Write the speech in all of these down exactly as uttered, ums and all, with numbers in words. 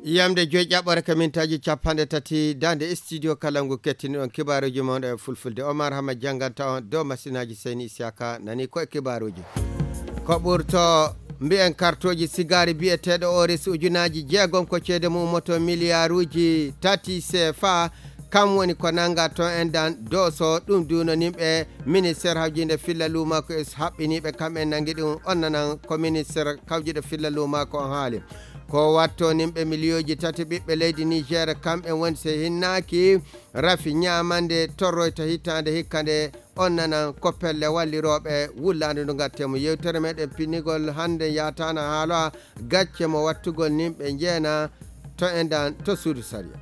Yamde joyi ƴaɓɓore ka mintaaji capanɗe tati daande studio kala ngu kettiniɗon kibaaruuji mon e fulfulde. Omar Hama jannganta on dow masinaaji Seyni Isiyaka nani ko e kibaaruuji. Ko ɓurto mbiyen kartooji sigaari biyeteeɗo Oris ujunaaji jeegom ko ceede mum ummoto miliyaaruuji tati C F A. Kam woni ko nannga toon en dan dooso ɗum duuno nimɓe ministère hawjinde filla luuma ko es haɓɓiniiɓe kam en nanngi ɗum on nanan ko ministère kawjuɗo filla luuma ko on haali. Ko watto nimɓe miliyooji tati ɓiɓɓe leydi Niger kam en woni so hinnaaki rafi ñaamande torroyta hitaande hikka nde on nanan ko pelle wallirooɓe wullaande ndu ngatte mo yewtere meɗen pinnigol hannde yaataana haala gacce mo wattugol nimɓe njeena to endan to suudu sariya.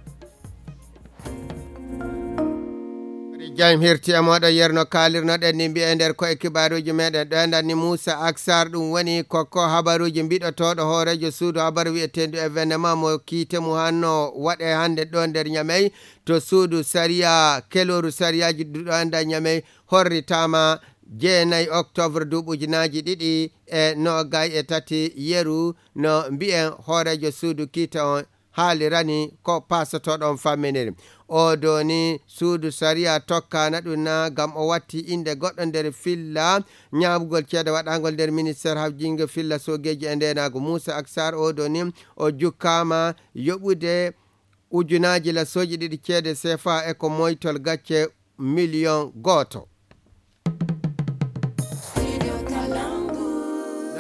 Jam hirti e moɗo yerno kaalirnoɗen ni mbiye nder ko e kibaaruuji meɗen ɗo endan ni Moussa Aksar ɗum woni ko ko habaruuji mbiɗotooɗo hooreejo suudu habaru wiyeteendu événement mo kiite mu hanno waɗe hannde ɗo nder Ñamey to suudu sariya kelooru sariyaaji ɗuɗo enda Ñamey horritaama jeenayi octobre duuɓi ujunaaji ɗiɗi e noogay e tati yeru no mbiyen hooreejo suudu kiita on haalirani ko paasotooɗo on famminiri. O doni suudu sariya tokkaana ɗum na ngam o watti innde goɗɗo nder filla ñaamugol ceede waɗaangol nder ministeer hawjingo filla soogeeji e ndeenaagu Muusa Aksar o doni o jukkaama yoɓude ujunaaji lasooji ɗiɗi ceede sefa e ko moytol gacce miliyon gooto.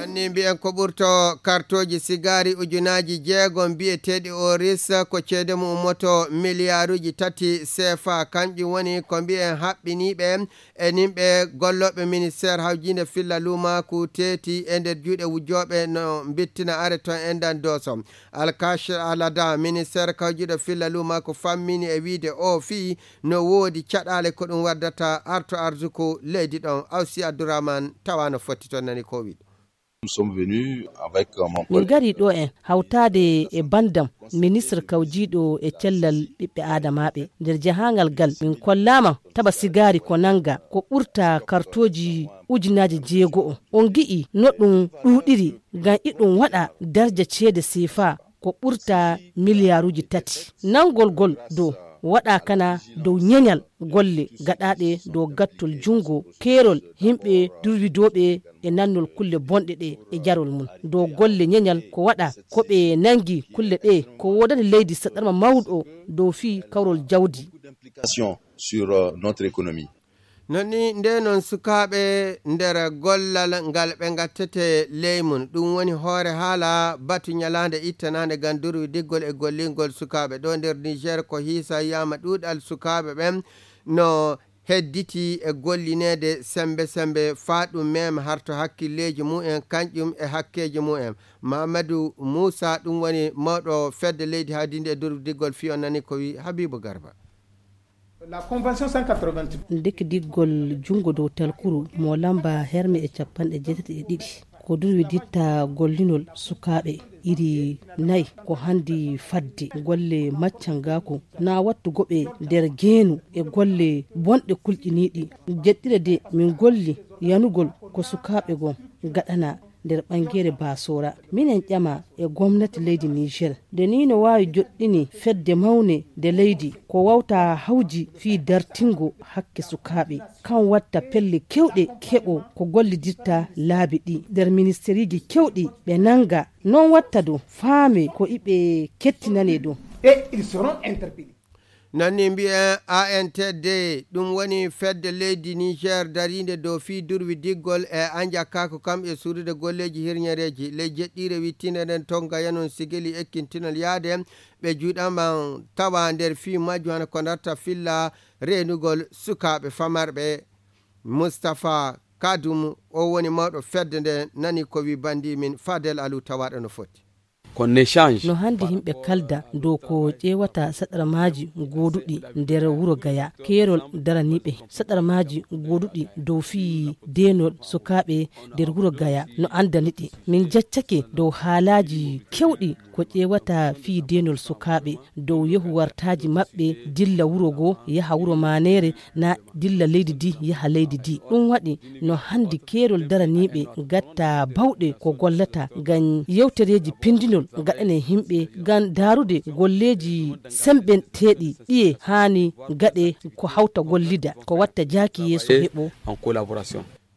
Nanni mbiyen ko ɓurto kartooji sigaari ujunaaji jeegom mbiyeteeɗi oris ko ceede mum ummoto miliyaaruuji tati sefa kanƴum woni ko mbiyen haɓɓiniiɓe e nimɓe gollooɓe ministeer hawjiinde filla luumaaku teeti e nder juuɗe wujjooɓe no mbittina are toon e ndan dooso. Alkash Alada ministeer kawjuɗo filla luumaaku fammini e wiide o fii no woodi caɗaale ko ɗum waddata arto arsuku leydi ɗon. Awsi Abdourahmane tawa no fotti toon nani ko o wiɗo. Nous sommes venus avec, euh, mon min collègue. Ngari ɗo en hawtaade e banndam ministre kawjiiɗo e cellal ɓiɓɓe aadamaaɓe nder jahaangal gal min kollaama taba sigaari ko nannga ko ɓurta kartooji ujunaaji jeego o on ngi'i no ɗum ɗuuɗiri ngam iɗum waɗa darja ceede sefa ko ɓurta miliyaaruuji tati. Nanngol ngol dow waɗa kana dow ñeñal golle gaɗaaɗe dow gattol junngo keerol yimɓe durwidooɓe e nannol kulle bonɗe ɗe e jarol mum. Dow golle ñeñal ko waɗa ko ɓe nanngi kulle ɗe ko woodani leydi saɗarma mawɗo dow fii kawrol jawdi. Sur, euh, notre économie. Non ni nde noon sukaaɓe nder gollal ngal ɓe ngattete ley mum ɗum woni hoore haala batu ñalaande ittanaande ngam durwidiggol e gollingol sukaaɓe ɗo nder Niger ko hiisa yiyama ɗuuɗal sukaaɓe ɓen no hedditi e gollineede sembe sembe faa ɗum mema harto hakkilleeji mumen kanƴum e hakkeeji mumen. Mamadou Moussa ɗum woni mawɗo fedde leydi hawdiinde e durwidiggol fii on nani ko wi Habibou Garba. La convention cent quatre-vingt-huit. Ndekkidiggol junngo dow talkuru mo lamba herme e capanɗe jeetati e ɗiɗi ko durwiditta gollinol sukaaɓe iri nayi ko handi fadde golle maccangaaku na wattugo ɓe nder geenu e golle bonɗe kulƴiniiɗi. Jeɗɗire de min golli yanugol ko sukaaɓe gon gaɗana nder ɓangeere Basora. Minen ƴama e gomnati leydi Niger nde ni no waawi joɗɗini fedde mawne nde leydi ko wawta hawji fii dartingo hakke sukaaɓe. Kan watta pelle kewɗe keɓo ko gollidirta laabi ɗi nder ministeriiji kewɗi ɓe nanga. Non watta du faame ko iɓe kettinane du. Et ils seront interpellés. Non ni mbiyen A N T D, ɗum woni fedde leydi Niger dariinde dow fii durwidiggol e anjakaaku kam e suurude golleeji hirñereeji. Ley jeɗɗiire wittiinde nden tonga yanon sigili ekkintinol yaade ɓe juuɗama tawa nder fii majju hano ko darta filla reenugol sukaaɓe famarɓe. Mustapha Kadum, o woni mawɗo fedde nde, nani ko wi bandi min Fadel Alu tawaɗo no foti. Qu'on échange. No handi yimɓe kalda dow ko ƴeewata saɗarmaaji gooduɗi nder wuro Gaya. Keerol daraniiɓe saɗarmaaji gooduɗi dow fii deenol sukaaɓe nder wuro Gaya no andani ɗi. Min jaccake dow haalaaji kewɗi ko ƴeewata fii deenol sukaaɓe dow yehu wartaaji maɓɓe dilla wuro goo yaha wuro maaneere na dilla leydi di yaha leydi di. Ɗum waɗi no handi keerol daraniiɓe gatta bawɗe ko gollata ngam yewtereeji pindinol Gaɗane himɓe ngam daarude golleeji semɓenteeɗi ɗiye haani gaɗe ko hawta gollida, ko watta jaaki yeeso heɓo.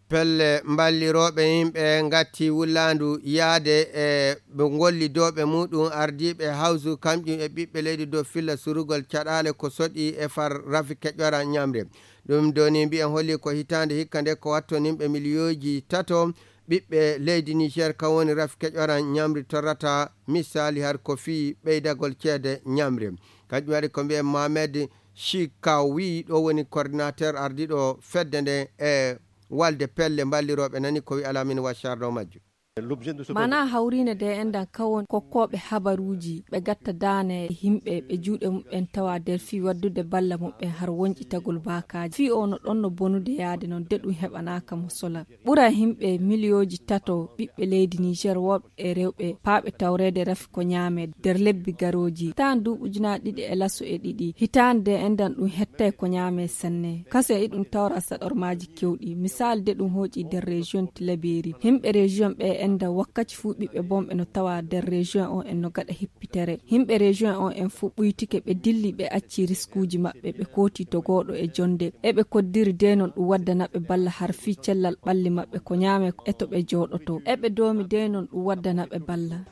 Pelle mballirooɓe yimɓe ngatti wullaandu yaade e ɓe gollidooɓe muɗum ardiiɓe hawsu kamƴum e ɓiɓɓe leydi dow filla surugol caɗaale ko soɗi e far rafi keƴora ñamre. Ɗum doni mbiyen holli ko hitaande hikka nde ko wattonimɓe miliyooji tato ɓiɓɓe leydi Niger, kan woni rafi keƴora ñamri torrata misali har ko fii ɓeydagol ceede ñamri. Kanjum waɗi ko mbiyen Mohamed Shikawi, ɗo woni coordinateur ardiiɗo fedde nde e walde pelle mballirooɓe nani ko wi alamin waccarɗo majju. Mana hawriinde nde enɗan kawon kokkooɓe habaruuji ɓe gatta daane e yimɓe ɓe juuɗe muɓɓen tawa nder fii waddude balla muɓɓen har wonƴitagol baakaaji. Fii o no ɗon no bonude yaade non de ɗum heɓanaaka mo sola. Ɓura yimɓe miliyooji tato ɓiɓɓe leydi Niger worɓe e rewɓe paaɓe tawreede rafi ko ñaame nder lebbi garooji. Hitaan duuɓi ujunaaji ɗiɗi e laso e ɗiɗi. Hitaande nde enɗan ɗum hettay ko ñaame sanne. Kase e ɗum tawra saɗormaaji kewɗi. Misaali de ɗum hooƴi nder région Tilaberi. Yimɓe région ɓe enɗan wakkati fuu ɓiɓɓe bonɓe no tawa nder région on en no gaɗa hippitere. Yimɓe région on en fuu ɓuytike ɓe dilli ɓe acci riskuuji maɓɓe ɓe kooti dogooɗo e jonde. Eɓe koddiri de non ɗum waddana ɓe balla har fii cellal ɓalli maɓɓe ko ñaame e to ɓe jooɗoto. Eɓe doomi de non ɗum waddana ɓe balla.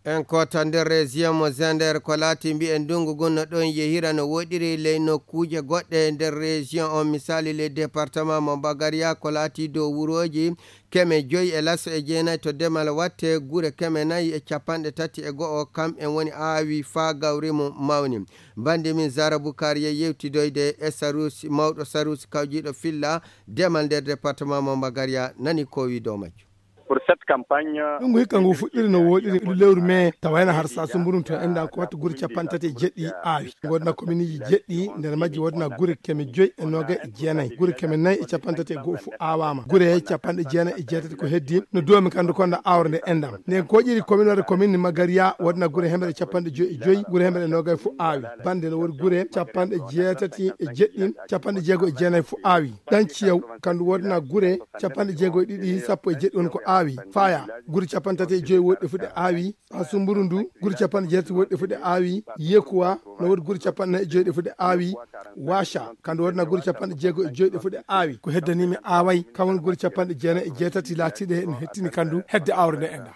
En kota nder région mo Zender ko laati mbiyen ndungu ngun no ɗon yehira no woɗiri ley nokkuuje goɗɗe nder région on, misali ley département mo Bagaria ko laati dow wurooji keme joyi e laso e jeenayi to demal watte gure keme nayi e capanɗe tati e go'o kam en woni aawi faa gawri mum mawni. Bandi min Zara Bukar ye yewtidoyde e Sarusi, mawɗo Sarusi kawjiiɗo filla demal nder département mo Bagaria nani ko wi dow majju. Pour cette campagne, ɗum ko hikka ngu fuɗɗiri no woɗiri ndu lewru mai tawayno har sa sumburun to enɗan ko wattu gure capanɗe tati e jeɗɗi aawi. Ngu waɗana kominiji jeɗɗi nder majji waɗana gure keme joyi e noga e jeenayi. Gure keme nayi e capanɗe tati e go'o fu aawama. Gure capanɗe jeenayi e jeetati ko heddi no duwami kandu konda awre nde enɗan. Nden ko ƴiri komin waɗa komin Magariya waɗana gure hemere capanɗe joyi e joyi, gure hemere noga fu aawi. Bande no woɗi gure capanɗe jeetati e jeɗɗi, capanɗe jeego e jeenayi fu aawi. Ɗan ciyaw kandu woɗana gure capanɗe jeego e ɗiɗi, sappo e jeɗɗi woni ko aawi. Faya gure capanɗe tati e joyi woɗɗi fu ɗe aawi. Ha sumburu ndu gure capanɗe jeetati woɗɗi fu ɗe aawi. Yekuwa no woɗi gure capanɗe nayi e joyi ɗe fu ɗe aawi. Washa kandu woɗana gure capanɗe jeego e joyi ɗe fu ɗe aawi. Ko heddanimi aaway kan woni gure capanɗe jeenayi e jeetati laatiɗe no hettini kandu hedde awre nde enɗa.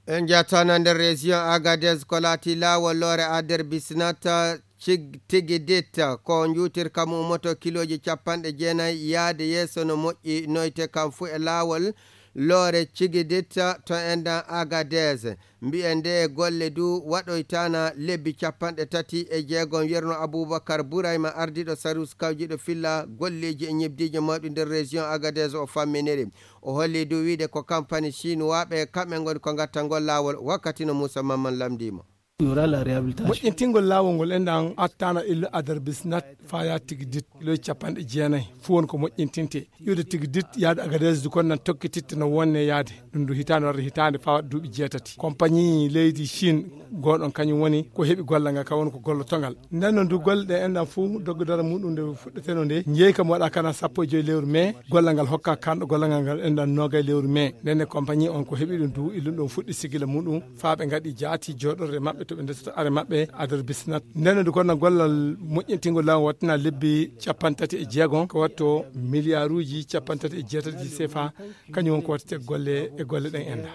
En jatana nder région Agadez ko laati laawol loore Ader Bisnata Cig-, Tigidit ko njuutirka mum ummoto kilooji capanɗe jeenayi yaade yeeso no moƴƴi noyte kam fuu e laawol loore Cigidit to enɗan Agadez. Mbiyen nde golle du waɗoytaana lebbi capanɗe tati e jeegom. Yerno Abubakar Burayma ardiiɗo Sarus kawjiiɗo filla golleeji e ñebdiiji mawɗi nder région Agadez o famminiri. O holli du wiide ko kampani Chinois ɓe kamɓe ngoni ko ngatta ngol laawol wakkati no Moussa Mamman lamndiimo. Moƴƴintingol laawol ngol enɗan attaana illu Adar Bisnat faya Tigidit kiloji capanɗe jeenayi fuu won ko moƴƴintinte. Iwde Tigidit yaade Agadez du kon nan tokkititte no wonne yaade. Ɗum du hitaande warde hitaande faa waɗa duuɓi jeetati. Kompani leydi Chine gooɗon kañum woni ko heɓi gollal ngal, ka woni ko gollotongal. Nden noon du golle ɗe enɗan fuu doggo dara muɗum nde fuɗɗeteno nde, njeeyi kam waɗa kana sappo e joyi lewru mai, gollal ngal hokka kanɗo gollal ngal ngal enɗan noogay lewru mai. Nden ne kompani on ko heɓi ɗum du, illum ɗum fuɗɗi sigila muɗum, faa ɓe ngaɗi jaati jooɗorde maɓɓe to ɓe ndesata are maɓɓe, Adar Bisnat. Nden noon du kono gollal moƴƴintingol laawol wattina lebbi capanɗe tati e jeegom, ko watto miliyaaruuji capanɗe tati e jeetati sefa, kañum woni ko wattete golle e golle ɗen enɗa.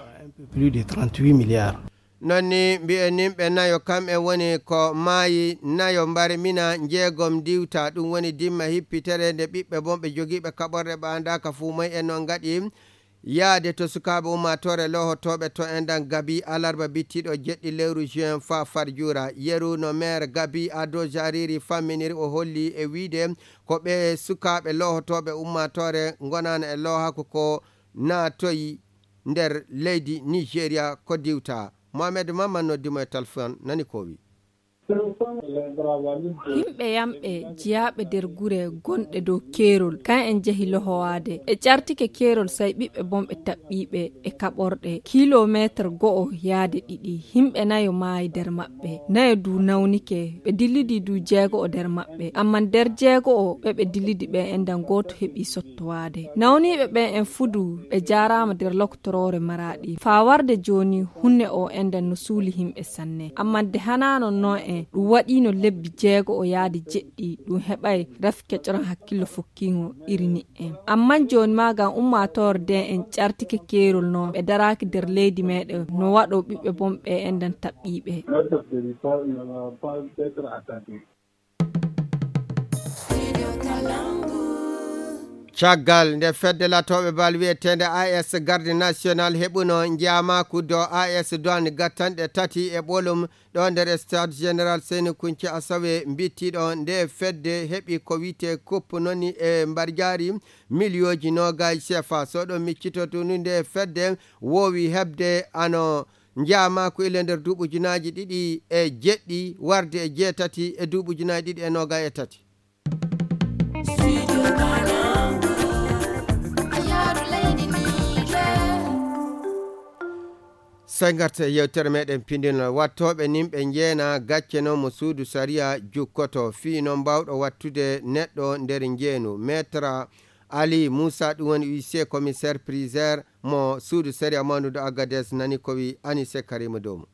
Plus de trente-huit milliards. Non ni mbiyen nimɓe nayo kam en woni ko maayi, nayo mbarmina, njeegom diwta. Ɗum woni dimma hippitere nde ɓiɓɓe bonɓe jogiiɓe kaɓorɗe ɓaandaaka fuu moy en non ngaɗi yaade to sukaaɓe ummaatoore loohotooɓe to enɗan gabi alarba bittiiɗo jeɗɗi lewru juin faa farjuura. Yeru no meer gabi ado jariri famminiri o holli e wiide ko ɓe sukaaɓe loohotooɓe ummaatoore ngonaana e loohaku ko naatoyi nder leydi Nigeria ko diwta. Mohamed Mamman noddi mo e telefon nani ko wi. Yimɓe yamɓe jiyaaɓe nder gure gonɗe dow keerol, kan en njehi lohowaade. Ɓe ƴartike keerol, sey ɓiɓɓe bonɓe taɓɓiiɓe e kaɓorɗe, kilomeeter go'o yaade ɗiɗi. Yimɓe nayo maayi nder maɓɓe, nayo du nawnike, ɓe dillidi du jeego'o nder maɓɓe. Ammaa nder jeego'o ɓe ɓe dillidi ɓe, enɗan gooto heɓi sottowaade. Nawniiɓe ɓen en fuu du ɓe jaaraama nder lokotoroore Maraaɗi. Faa warde jooni, huunde o enɗan no suuli yimɓe sanne. Ammaa nde hanaa non non en, ɗum waɗiino lebbi jeego'o yaade jeɗɗi, ɗum heɓaay rafi kecoran hakkillo fokkiingo iri ni'en. Ammaa jooni maa ngam ummaatoore nden en ƴartike keerol non, ɓe daraaki nder leydi meeɗen, no waɗo ɓiɓɓe bonɓe enɗan taɓɓiiɓe. Caggal nde fedde latooɓe bal wiyeteende A S Garde National heɓuno njaamaaku dow A S Douane gattanɗe tati e ɓolum ɗo nder Stade Général Seyni Kunce Asawe mbittiɗo, nde fedde heɓi ko wiyetee coupe noni e mbarjaari miliyooji noogaay C F A. So ɗo miccitoto nde fedde woowi heɓde ano njaamaaku ile nder duuɓi ujunaaji ɗiɗi e jeɗɗi warde e jeetati e duuɓi ujunaaji ɗiɗi e noogaay e tati. Sey ngarten e yewtere meɗen pindinol. Wattooɓe nimɓe njeena gacce noon mo suudu sariya jukkoto. Fii noon mbaawɗo wattude neɗɗo nder njeenu. Maître Ali Moussa, ɗum woni huissier commissaire priseur mo suudu sariya mawndu do Agadez, nani ko wi Anise Karima Domu.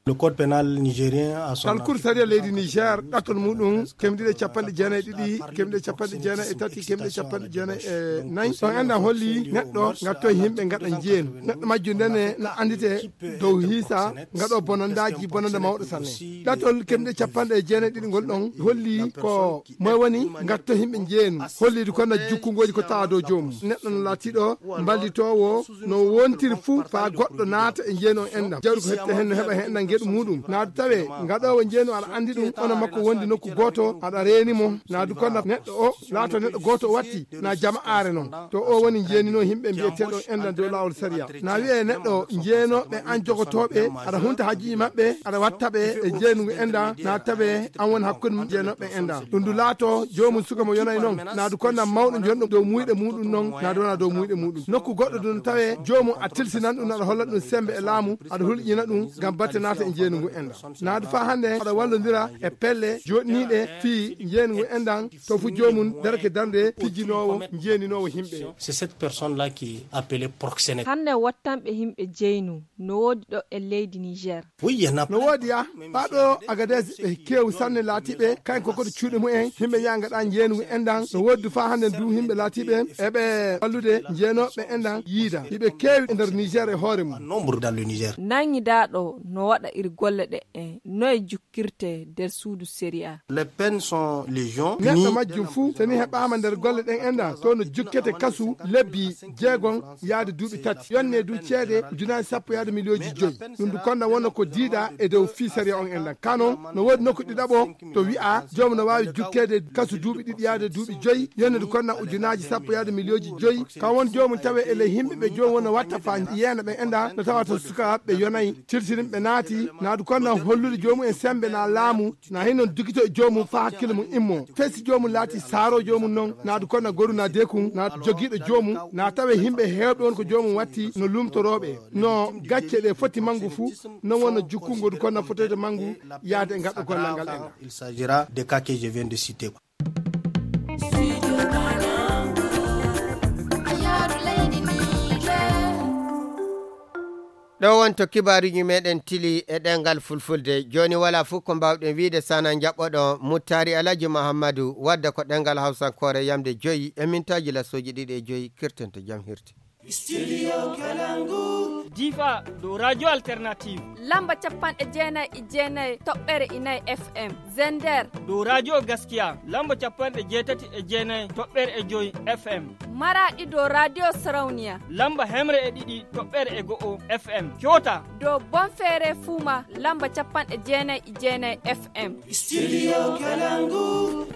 Le code pénal nigérien a son Kalkul sariya leydi Niger, ɗattol muɗum kemɗiɗe capanɗe jeenayi e ɗiɗi, kemɗiɗe capanɗe jeenayi e tati, kemɗiɗe capanɗe jeenayi e nayi. Ɗon enɗan holli neɗɗo ngattoy yimɓe ngaɗa njeenu. Neɗɗo majjo ndene na anndite dow hiisa ngaɗo bonandaaji, bonanda mawɗo sanne. Ɗattol kemɗiɗe capanɗe jeenayi e ɗiɗi ngol ɗon holli ko moy woni ngatto yimɓe njeenu. Holliidu kon na jukkungooji ko tawa dow joomum. Neɗɗo no laatiiɗo mballitoowo no wontiri fuu faa goɗɗo naata e njeenu on enɗan. Jawdi ko hette hen no heɓa hen enɗan ngeɗu muɗum. Naadu tawe ngaɗoowo njeenu aɗa anndi ɗum, ono makko wondi nokku gooto, aɗa reeni mo. Naadu kon na neɗɗo o laato neɗɗo gooto o watti, na jama'aare non. To o woni jeeninoo yimɓe mbiyeteeɗo enɗan dow laawol sariya. Na wi'e neɗɗo jeenooɓe an jogotooɓe, aɗa hunta hajjuuji maɓɓe, aɗa watta ɓe e jeenu ngu enɗan, na tawe an woni hakkunde jeenooɓe enɗan. Ɗum du laato joomum suka mo yonay non, na du konna mawɗo jonɗo dow muyɗe muɗum non, na du wona dow muyɗe muɗum. Nokku goɗɗo du no tawe joomum a tilsinan ɗum, aɗa holla ɗum sembe e laamu, aɗa hulƴina ɗum ngam batte naata e jeenu ngu enɗan. Na du faa hannde aɗa wallondira e pelle jooɗniiɗe fii jeenu ngu enɗan, to fu joomum darake darnde pijinoowo, jeeninoowo yimɓe. C'est cette personne-là qui est appelée proxénète. Hannde wattanɓe yimɓe jeynu no woodi ɗo e leydi Niger. Oui, il y en a No plein. Woodi ya, faa ɗo Agadez ɓe keewi sanne laatiiɓe, kayen ko koto cuuɗi mumen, yimɓe yaa ngaɗa jeenu ngu enɗan, no woodi faa hannde du yimɓe laatiiɓe, eɓe wallude jeenooɓe enɗan yiida. Hiɓe keewi e nder Niger e hoore mum. Nombre dans le Niger. Nanngidaaɗo no waɗa iri golle ɗe en, noye jukkirte nder suudu sariya. Les peines sont légion. Neɗɗo majjum fuu, so ni heɓaama nder golle ɗen enɗan, to no jukkete kasu lebbi jeegom yaade duuɓi tati. Yonne du ceede ujunaaji sappo yaade miliyooji joyi. Ɗum du konna wona ko diida e dow fii sariya on enɗan. Ka non, no woodi nokku ɗiɗaɓo to wi'a joomum no waawi jukkeede kasu duuɓi ɗiɗi yaade duuɓi joyi. Yonne du konna ujunaaji sappo yaade miliyooji joyi. Ka won joomum tawe e ley yimɓe ɓe joomum wona watta faa yeena ɓe enɗan, no tawata sukaaɓe yonay, tilsirin ɓe naati, na du konna hollude joomum en sembe na laamu, na hin non dukito e joomum faa hakkille mum immo. Fesi joomum laati saaro joomum non, na du konna goru na dekun, na jogiiɗo joomum, na tawe yimɓe heewɓe won ko joomum watti no lumtorooɓe. No gacce ɗe foti mangu fuu, non wonno jukkungo du konna fotoyde mangu yaade e ngaɗɗo gollal ngal enɗan. Il s'agira des cas que je viens de citer. Ɗo wonto kibaaruuji meɗen tili e ɗemngal fulfulde. Jooni walaa fof ko mbaawɗen wiyde sana njaɓɓoɗo Muttaari Alhaji Muhammadu wadda ko ɗemngal hawsankoore yamde joyi e mintaaji lasooji ɗiɗi e joyi. Kirten to jam hirti. Studio Kalangu. Difa dow Radio Alternative. Lamba capanɗe jeenayi e jeenayi toɓɓere e nayi F M. Zender. Dow Radio Gaskiya, lamba capanɗe jeetati e jeenayi toɓɓere e joyi F M. Maraɗi dow Radio Sarauniya. Lamba hemre e ɗiɗi toɓɓere e go'o F M. Kyota. Dow Bonfere Fuma, lamba capanɗe jeenayi e jeenayi F M. Studio Kalangu.